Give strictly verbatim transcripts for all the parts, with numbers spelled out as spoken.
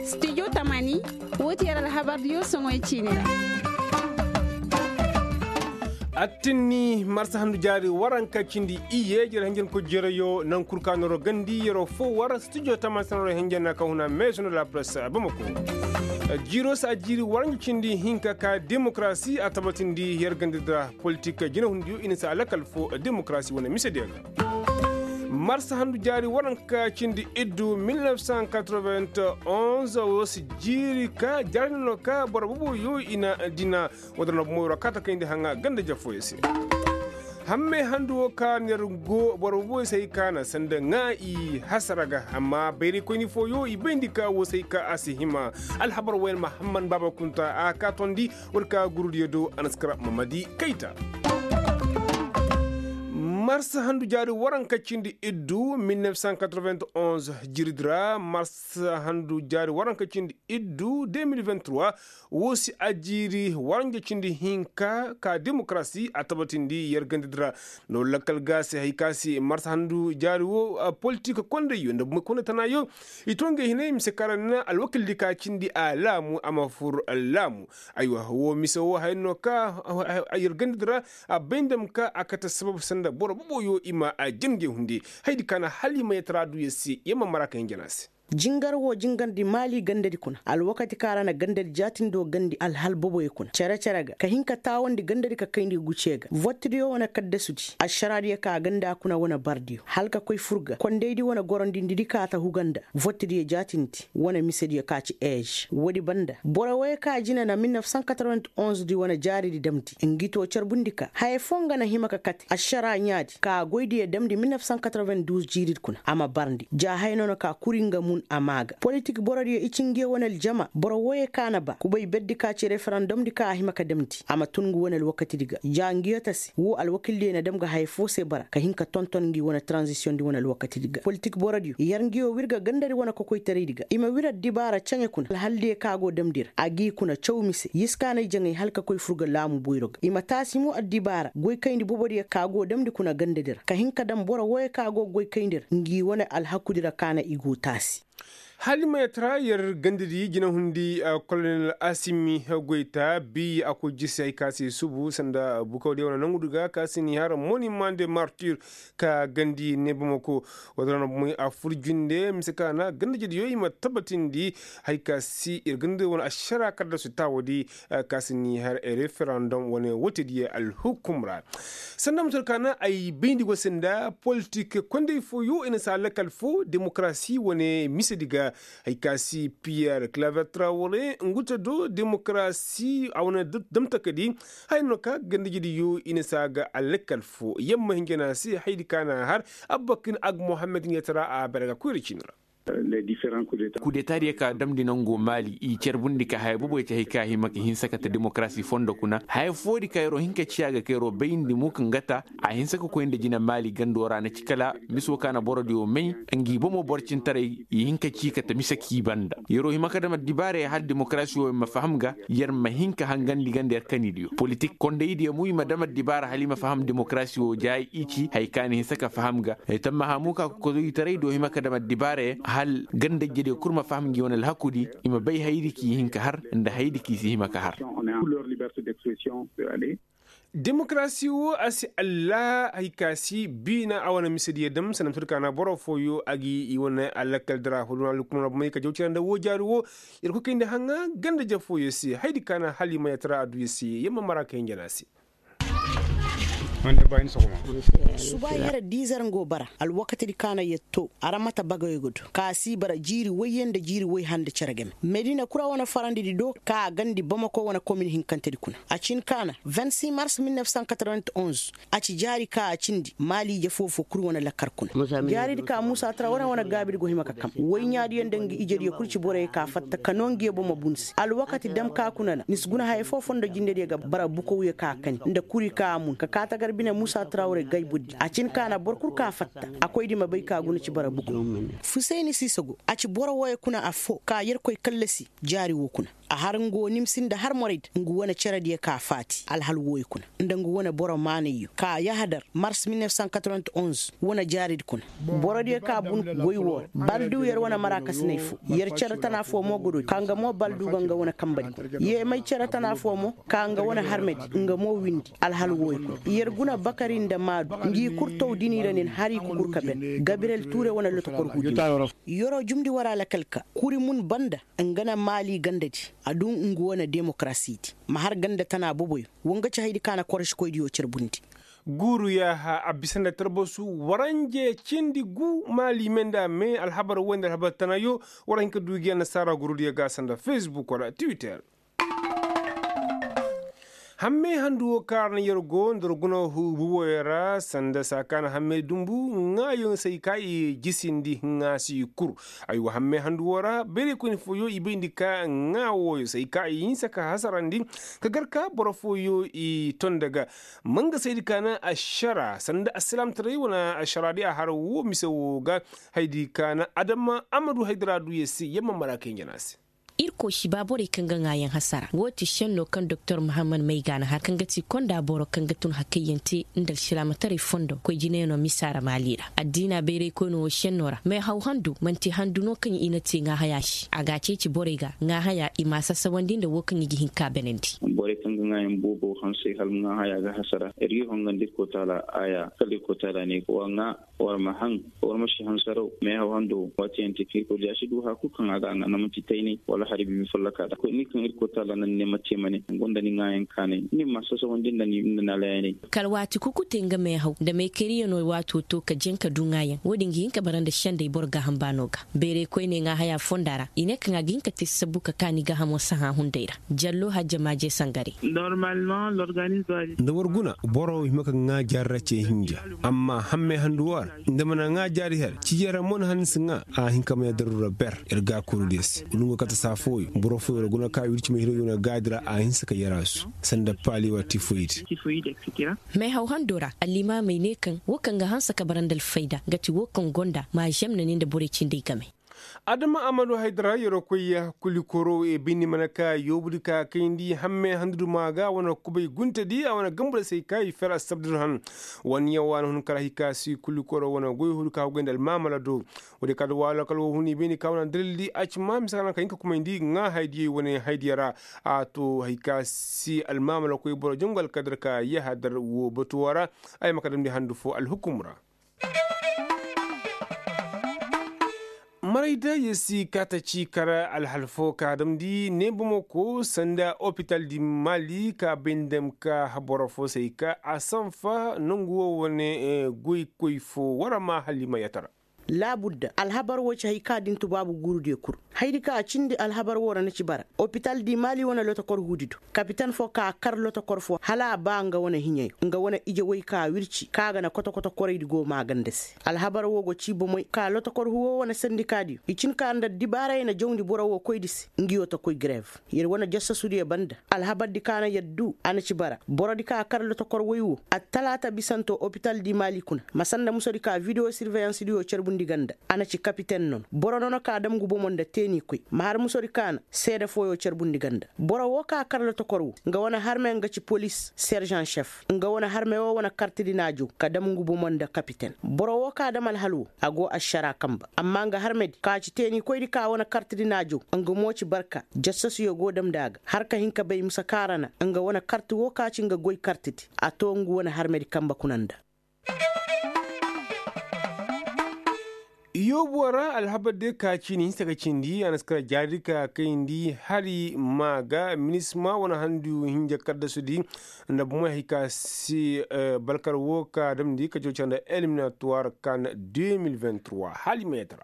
Studio tamani, woo ti yer alhabardiyo soŋoy ciini ra. Attinni marsa handu jaari waranka cindi iyye jere hinjankoy jereyo naŋ kul ka noro gandi yeroo foo war studio tamani sanaroo hinjana ka huna meesono la presse bamako. Jiiroo se a jiiri waranka cindi hinka ka demokarasi a tabatindi yer gandi dira politik jinahundiyo i na se a lakal foo demokarasi wane misediyo ga. Marsa handu jaari waranka cindi iddu mil nef san katrovent onze woo si jiiri ka jaari no ka boro boboyo i na dina. Woo dira no bomoyo ra kaata kayndi haŋa ganda jafooyo se. Hammey handu woo ka na yer go boro boboyo se hay ka na sanda ŋaa i hasara ga amma bayraykoyni fooyo i bayndi ka woo se hay ka a si hima. Alhabar wayne mahamman baaba kunta a ka tondi. War ka gurudiyo do a na si kara mamadi kayta. Marsa handu jaari waranka cindi iddu mil nef san katrovent onze, jiiridi ra marsa handu jaari waranka cindi iddu deux mil vingt trois. Woo si a jiiri waranja cindi hinka ka demokarasi a tabatindi yer gandadi ra. No lakkal ga se hay ka se marsa handu jaari woo politik kondayyo nda bumey konday tanaayo. I too ngey hinay mise ka ra na alwakildi ka cindi a laamu a ma fur laamu. Aywa woo mise woo haya no ka yer gandadi ra. A bay nda ma ka a kate sabab sanda boro boboyo i ma a jin ngey hunde. Hayadi ka na hala i ma yatara du yer se yer ma mara ka hin jana se. Jingar woo jingarndi maali gandadi kuna alwakati ka ra na gandadi jaatindoo gandi alhal boboyo kuna cere-cere ga ka hin ka taawandi gandadi ka kayndi guciyo ga vottidiyo wane kaddasudi ašaraadiyo ka ganda kuna wane bardiyo hala ka koy fur ga kondaydi wane gorondindidi ka ta huga nda vottidiyo jaatindi wane misediyo ka ci eez woodi banda boro wooyo ka jina na mil nef san katrovent onzedi wane jaaridi damndi ngi too carbundi ka haya foo nga na hima ka kate ašaraa ɲaadi ka goydiyo damndi mil nef san katrovent duuz jiiridi kuna a ma barndi ja haya no na ka kuri nga mun a maa ga politik borodiyo i ci ngiyo wane aljama boro wooyo ka na ba kubay berdi ka ci referandomdi ka a hima ka damndi a ma tun ngu wane alwakatidi ga ja ngiyo tasi woo alwakildiyo na dam ga haya foo se bara ka hin ka tonton ngi wane taranzisiyondi wane alwakatidi ga politik borodiyo yer ngiyo wir ga gandadi wane kokoytaraydi ga i ma wir addibaara caɲe kuna alhaldiyo ka go damndi ra a g'i kuna caw mise yer si kaanay jaŋay hala ka koy fur ga laamu boyro ga i ma taasi mo addibaara goykayndi bobodiyo ka go damndi kuna gandadi ra ka hin ka dam boro wooyo ka go goykayndi ra ngi wane alhakudi ra kaana i go taasi. Hala i ma yatara yer gandadi jinahundi kolonel asimi goyta bi a koy jisi hay ka se subu sanda bukawdiyo wane nangudi ga ka se ni har monimande martir ka gandi ne bamako. Wala na bumey a fur jinde mise ka na gandajediyo i ma tabatindi hay ka se ir gandadi wane ašara kaddasu taawadi ka se ni har referandom wane wootediyo alhukum ra. Sanda mutar ka na ay bayndi go se nda politik konday fooyo i na saa lakal foo demokarasi wane misedi ga. Hay ka si piyer klaver trawore ngu te do demokarasi a wane damtakadi. Hay no ka gandajediyo i na saa ga alakal foo yamma hinjana se haydi ka na har abbakin ag mohammed ɲetara a bere ga koyra ciini ra. Kudetadiyo ka damndi nangoo maali i carbundi ka haya boboyo te hay ka hima ka hinsa kate demokarasi fondo kuna haya foodi ka yer'o hin ka ciya ga ka yer'o bayndi muk nga ta. A hinsa ka koy nda jina maali gandoo ra na ci kala miso ka na borodiyo may. Ngi bomo borcintaray i hin ka ci kate mise k'i banda yer'o hima ka dam addibaarey hal demokarasi woo ma faham ga. Yer ma hin ka hangandi ganda yer kanidiyo politik kondaydiyo mo i ma dam addibaara hal i ma faham demokarasi woo jaay i ci haya ka na hinsa ka faham ga. Tammaha mo ka kokozoyitaray do hima ka dam addibaarey hal gandajediyo kul ma faham ngi wane alhakudi i ma bay hayadi k'i hin ka har nda hayadi k'i si hima ka har. Demokarasi woo a si allaa hay ka si biina a wane misediyo dam sanda musa di ka na boro fooyo a gi i wane alakal dara fo duna alhukumar bomey ka jaw cira nda woo jaari woo. Yer koy kayndi haŋa ganda ja fooyo se hayadi ka na hala i ma yatara adduya se yer ma mara ka hinjana se. Suba yer diizer ngo bara alwakatidi ka na yer too aramata bagayo ga du ka si bara jiiri woyye nda jiiri woy hande cere game medina kura wane farandidi do ka gandi bamako wane komin hinkantedi kuna a cin ka na vingt six mars mil nef cent quatre-vingt-onze. A ci jaari ka a cindi maali ije foo-foo kul wane lakkar kuna. Jaaridi ka muusa tara wane wane gaabidi go hima ka kam woy ɲaadiyo nda ngi ijediyo kul ci boroyo ka fatta ka noo ngiyo bomo bunse alwakati dam ka kuna na ni si guna haya foo fondo jindediyo ga bara bukawyo ka kani nda kuri ka a mun ka kaa tagar bine muusa tara wane gayburdi a cin ka na boro kul ka fatta a koydi ma bay ka guna ci bara bukaw. Fusayni siisa go a ci boro wooyo kuna affoo ka yerkoy kallasi jaari woo kuna. A har nga wo nimsi nda har moraydi nga wane cerediyo ka faati alhal wooyo kuna nda nga wane boro maanayyo ka yahadar mars mil nef san katronte-onze wane jaaridi kuna. Borodiyo ka bun woy woo ra baldu yer wane marakasinay foo. Yer cere tana foo mo godo ka nga mo baldu ga nga wane kambadi kuna. Yer may cere tana foo mo ka nga wane harmedi nga mo windi alhal wooyo kuna. Yer guna bakari nda maadu ngi kul taw dini ra nin har i kukur ka ben gabirel tuure wane lotokor huudi. Yeroo jumndi war alakal ka kuri mun banda nga na maali gandadi. A duu ngu wane demokarasidi ma har ganda tana boboyo. Wa nga ci haydi ka na korosikoydiyo carbundi. Guuru yaaha a bisa nda tarbasu waranje cindi gu maali me nda a me alhabar woy nda alhabar tanayo. War a hin ka duu gi annasaara guurudiyo ga sanda fesbuk wala twitter. Hammey handu woo kaŋ a ra na yer go nda yer guna huubu wooyo ra sanda saa ka na hammey dumbu ŋaayoŋ se ay ka i jisindi hiŋa se i kur. Aywa hammey handu woo ra bayraykoyni fooyoŋ i bayndi ka ŋaa wooyo se ay ka i hinsa ka hasarandi ka gar ka boro fooyoŋ i ton nda ga. Ma nga se ay di ka na ašara sanda alsilaamtaray wane ašara di a har woo mise woo ga. Hay di ka na adama amadu haydara du yer se yer ma mara kay njana se. Irkoy si ba borey kaŋ ga ŋaayaŋ hasara woo ti šenno kaŋ doktor mahammad may ga na har kaŋ ga ti konda boro kaŋ ga tun hakayyaŋ te nda alsilaamataray fondo koy jinayaŋo misa ra maali ra. Addiina bayraykoyno woo šenno ra meehaw handu man'ti handu no kaŋ i na te ŋaahaya se a ga a ceeci borey ga ŋaahaya i m'a sasawandi nda woo kaŋ i ga hin k'a benandi. Borey kaŋ ga ŋaayaŋ boobo hansey hala ŋaahaya ga hasara ir ga i hongandi irkoy taala aaya kala irkoy taala ne wa ŋaa. War ma haŋ war ma si hansaraw meehaw hando waati yaŋ te kaŋ irkoy diya si du haya kul kaŋ a ga a ŋaa na man'ti taynay wala hari biibi folloka da ni kaŋ irkoy taala na ni ne ma te ma ne gonda ni ŋaayaŋ kaanay ni ma sasawandi nda ni alayaney. Kala waati kukute nga meehaw nda meekariyaŋo waato to ka jaŋ ka du ŋaayaŋ wo-din ga hin ka bara nda sendey boro gaaham baano ga. Bayraykoyney ŋaahaya fonda ra i ne kaŋ a ga hin ka te sabbu ka kaani gaahamo sahã hunday ra. Jallo hajja maaje sangare. Nda war guna boro hima ka ŋaa jaari ra ce hinja. Amma hammey handu woo ra nda mana ŋaa jaari har cijey ra mo na han ni si ŋaa a hin ka may a daru ra ber. Yer gaakorudiyo se wala nga kate saa fooyo boro fooyo ra guna ka wirci ma hiroyo na gaadi ra a hinsa ka yer a su sanda paali wala tifoyid. Meehaw hando ra allimaamey ne kaŋ woo kaŋ ga hanse ka bara nda alfayda nga ti woo kaŋ gonda maazem na ne nda borey cindey game. Adama amadu haydara yeroo koy ya kulikoro e bindi mana ka yoobudi ka kayndi hamme handuduma ga wane kubay guntedi a wane gambuda se ka i fer assabdun han. Wane yaŋ waana hun kala hay ka si kulikoro wane goy hudu ka hugay nda almaamala do. Woodi ka da waalo kala wo hun i bayndi ka wane dalildi a ci ma mise ka naŋ ka hin ka kumayndi ŋaa haydiyey wane haydiya ra. A to hay ka si almaamala koy boro jangu alkadar ka yahadar wo batuwa ra. Ay ma ka damndi handu fo alhukum ra. Maray da yer si kaata ci kar alhal fo ka damndi ne bomo ko sanda opital di maali ka bay nda ma ka boro fo se ay ka a sanfa nongu wo wane goykoy fo war a ma hala i ma yatara. Laabudda alhabar wo ci hay ka din tubaabu guurudiyo kul. Haydi ka a cindi alhabar wo ra na ci bara opital di maali wane lotokor huudi do. Kapiten fo ka a kar lotokor fo hala a ba nga wane hiɲey nga wane ije woy ka wirci ka ga na kotokoto koraydi go maaganda se. Alhabar wo go ci bomey ka lotokor huwo wane sandikaadiyo i cin ka nda dibaaray na jawndi boro wo koydi se. Ngiyo ta koy grev yer wane jassasudiyo banda. Alhabardi ka na yer du a na ci bara borodi ka a kar lotokor woy wo attalaata bisanto opitaldi maali kuna ma sanda musodi ka videwo sirveyansidiyo carbundi ga nda. A na ci kapiten nono boro nono ka dam ngu bomo nda teenikoy ma har musodi ka na seede fooyo carbundi ga nda. Boro woo ka kar lotokor woo nga wane harme nga ci polis serjan šef nga wane harme woo wane kartidi na a jaw ka dam ngu bomo nda kapiten. Boro woo ka dam alhal woo a go ašaraa kanba amma nga harmedi ka ci teenikoydi ka wane kartidi na a jaw. Nga mo ci barka jassasuyo go damndi a ga har ka hin ka bay mise ka ra na nga wane karti woo ka ci nga goy kartidi a too ngu wane harmedi kanba kuna nda. Yoobuwa ra alhabar day ka ciini hinsa ka cindi a na si kara jaari ka kayndi hari maa ga minisma wane handu hinja kaddasudi nda bomey hay ka se balkar woo ka damndi ka jaw care nda eliminatuwar kan. Deux mille vingt-trois hali meetar.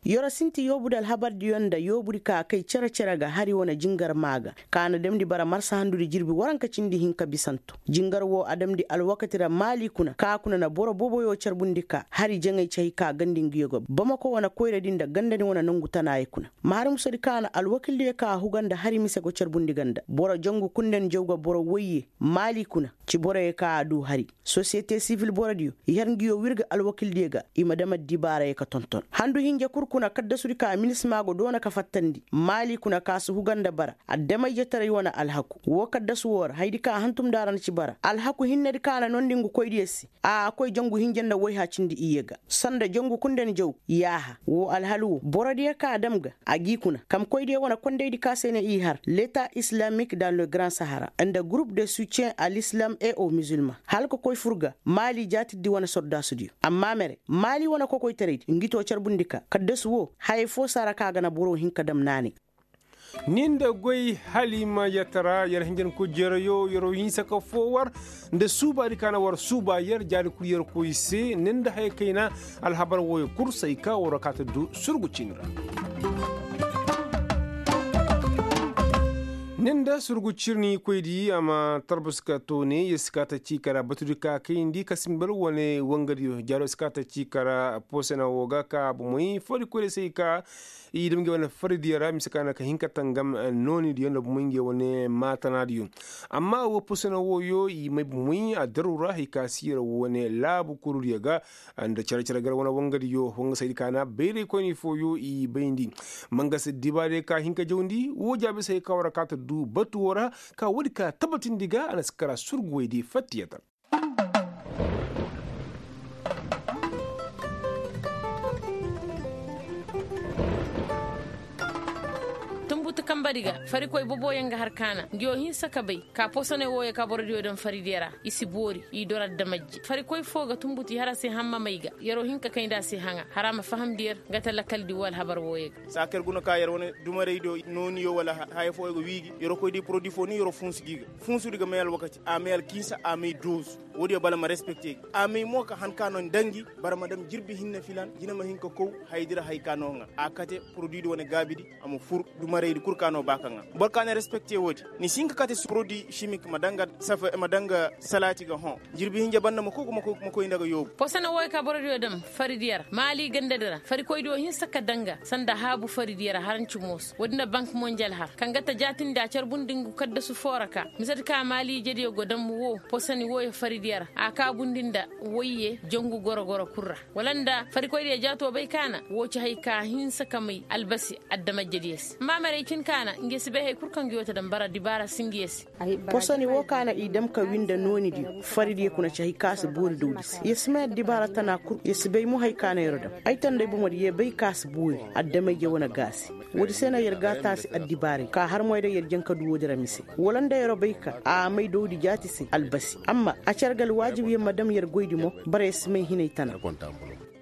Yoro sinti yoobudi alhabardiyo nda yoobudi ka kay cere-cere ga hari wane jingar maa ga ka na damndi bara marsa handudi jirbi waranka cindi hinka bisanto. Jingar woo a damndi alwakati ra maali kuna ka kuna na boro boboyo carbundi ka hari jaŋay ci hay ka gandi nguyo ga bamako wane koyradi nda gandadi wane nongu tanaayey kuna. Ma har musadi ka na alwakildiyo ka a huga nda hari mise go carbundi ga nda boro jangu kundandi jaw ga boro woyye maali kuna ci boroyo ka a duu hari. Sosiyete sivil borodiyo i har nguyo wirga alwakildiyo ga i ma dam addibaarayey ka tonton handu hinja kul kuna kaddasudi ka minisima go doona ka fattandi maali kuna ka si huga nda bara addamayjetaray wane alhaku woo kaddasu woo ra hayadi ka hantum nda a ra na ci bara alhaku hinnedi ka na noondi ngu koydiyo se a koy jangu hinja nda woyha cindi iyye ga sanda jangu kundani jaw yaaha woo alhal woo borodiyo ka a dam ga a g'i kuna kamkoydiyo wane kondaydi ka se ne i har leta islamik dans le grand sahara nda gurup de soutien a l'islam et au musulman hala ka koy fur ga maali jaatirdi wane sordaasudiyo amma mere maali wane kokoytaraydi ngi too carbundi ka kaddasu woo hayey foo si a ra ka a ga na boro hin ka dam naanay. Ni nda goy haliima yatara yer hinjankoy jereyo yeroo hinsa ka foo war nda suubaadi ka na war suuba yer jaari kul yer koy se ni nda haya kayna alhabar wooyo kul say ka war kaata du surgu ciini ra. Ni nda surgu ciini koydi a ma tarbus ka toone yer si kaata cii ka ra batudi ka kayndi ka simbar wane wangadiyo jaaro si kaata cii ka ra posena woo ga ka bomoy fari koydi say ka i dam nge wane faridiyo ra mise ka na ka hin ka tangam noonidiyo nda bomoy nge wane maatanaadiyo. Amma woo posena wooyo i may bomoy a daru ra hay ka si yer wane laabu kurudiyo ga nda cere-cere gar wane wangadiyo wanga saydi ka na bayray koyni fooyo i bayndi. Mangasa dibaadiyo ka hin ka jawndi woo jaabi se hay ka war kaata du batu woo ra ka woodi ka tabatindi ga a na si kara surguwaydi fattiyatar. Tunbutu kambadi ga farikoy boboyaŋ ga har kaana ngiyo hinsa ka bay ka posone wooyo ka borodiyo daŋ faridiyo ra i si boori i dora damajje farikoy foo ga tunbutu i har a se hammamay ga yeroo hin ka kayndi a se haŋa har a ma fahamndi yer nga ta lakaldi woo alhabar wooyo ga. Saa kaŋ yer guna ka yer wane dumaraydiyo nooniyo wala haya fooyo ga wiigi yeroo koy di porodi foo ni yeroo funsu gi ga funsudi ga may alwakati a may alkiisa a may doozu. Woodiyo bala ma respekte gi a may mo ka han ka no nda ngi bara ma dam jirbi hinne filan jina ma hin ka kow hayadi ra hay ka no ŋa a kate porodi di wane gaabidi a ma fur dumaraydi kul ka no ba ka ŋa boro ka na respekte woodi. Ni si hin ka kate porodi simik ma danga salaati ga hõ jirbi hinja banda ma koy ma koy nda ga yoobu. Posone wooyo ka borodiyo dam faridiyo ra maali gandadi ra farikoydiyo hinsa ka danga sanda haabu faridiyo ra haranci mooso woodi nda bank monjal har kaŋ ga ta jaatindi a carbundi ngu kaddasu foo ra ka misedi ka maali ijediyo go dam woo posoni wooyo faridiyo ra a kaabundi nda woyye jangu goro-goro kul ra wala nda farikoydiyo jaato bay ka na woo ci hay ka hinsa ka may albasi adamajediyo se amma maray cin ka na nge si bay hay kul kaŋ ngi woo ta dam bara dibaara si ngiyo se. Posoni woo ka na i dam ka wi nda noonidiyo faridiyo kuna ci hay ka si boori dawdi se yer si may addibaara tana kul yer si bay mo hay ka na yer dam ay tanda ay bomodi yer bay ka si boori adamay-je wane gaasi. Woodi se no yer ga a taasi addibaaray ka har moy day yer jaŋ ka du woodi ra mise wala nda yer bay ka a may dawdi jaati se albasi amma a care ga alwaajib yer ma dam yer goydi mo. Bara yer si may hinay tana.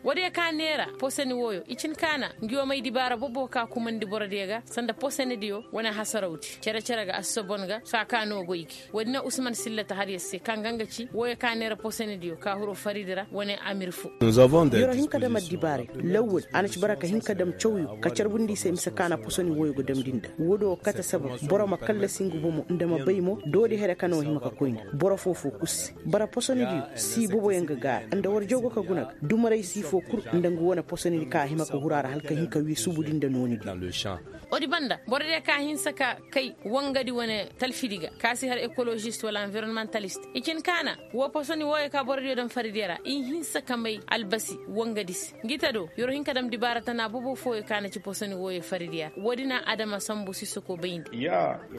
Woodiyo ka neera posoni wooyo i cin ka na ngiyo may dibaara bobo ka kumandi borodiyo ga sanda posonidiyo wane hasarawdi cere-cere ga assobon ga saa ka no goy gi woodi na usman sillata har yer se kaŋ ga nga ci wooyo ka neera posonidiyo ka huru faridi ra wane amir fo. Yeroo hin ka dam addibaaray lawwal a na ci bara ka hin ka dam cawyo ka carbundi i se mise ka na posoni wooyo ga damndi nda woodi wo kate sabab boro ma kallasi ngu bomo nda ma bay mo doodi here ka no hima ka koy nda boro foo-foo kul se. Bara posonidiyo sii boboyaŋ ga gaara nda war jaw go ka guna ga dumaray sii foo kul nda ngu wane posonidi ka hima ka huru a ra hala ka hin ka wii subudi nda noonidiyo. Woodi banda borodiyo ka hinsa ka kay wangadi wane talfidi ga ka si har ekolozist wala anvironmantalist i cin ka na woo posoni wooyo ka borodiyo daŋ faridiyo ra i hinsa ka may albasi wangadi se ngi ta do yeroo hin ka daŋ dibaara tana bobo fooyo ka na ci posoni wooyo faridiyo ra woodi na adama sambu sisoko bayndi.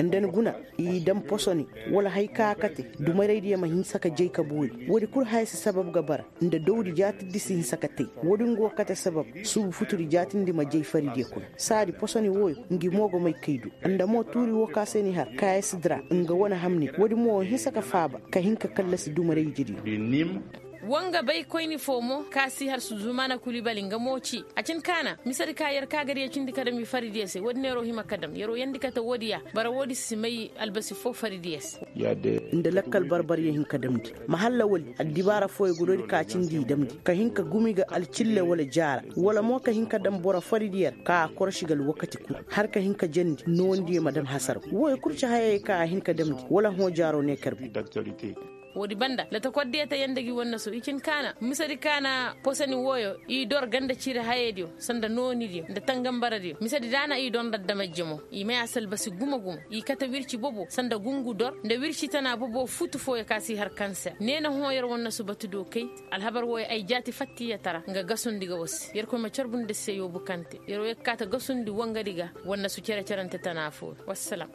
Nda ni guna i daŋ posoni wala hay ka kate dumaraydiyo ma hinsa ka jay ka boori woodi kul haya si sabab ga bara nda dawdi jaatirdi si hinsa ka tey woodi nga wo kate sabab suubu futudi jaatindi ma jay faridiyo kuna saadi posoni wooyo ngi mo go may kay du nda mo tuuri woo ka se ni har kaayasidi ra nga wane hamni woodi mo wo hinsa ka faaba ka hin ka kallasi dumaraydidiyo. Woo nga bay koyni foo mo ka si har suzumaana kulibali nga mo ci a cin ka na misedi ka yer ka gadiyo cindi ka dam i faridiyo se woodi neeroo hima ka dam yeroo yeendi kate woodiya bara woodi si may albasi foo faridiyo se. Nda lakkal barbaryo hin ka damndi ma halla wali addibaara fooyo ga doodi ka cindi i damndi ka hin ka gumi ga alcille wala jaara wala mo ka hin ka dam boro faridiyo ra ka a korosi ga alwakati kul har ka hin ka jandi noondiyo ma dam hasaraw wooyo kul ci hayey ka a hin ka damndi wala hõ jaaroo ne karbu. Woodi banda latakordiyo ta yanda gi wannasu i cin kaana misedi kaana posani wooyo i dor ganda ciri hayeydiyo sanda noonidiyo nda tangambaradiyo misedi daana i dor nda adamajje mo. I may a salbasi gumo-gumo i kate wirci bobo sanda gungu dor nda wirci tana bobo futu fooyo ka si har kanser nee na hõ yer wannasu batudiyo kay. Alhabar wooyo ay jaati fattiyatara nga gasundi ga war se yerkoy ma carbundi se yoobukante yer woo yer ga kaa ta gasundi wangadi ga. Wannasu cere-cerante tana fooyo wassalam.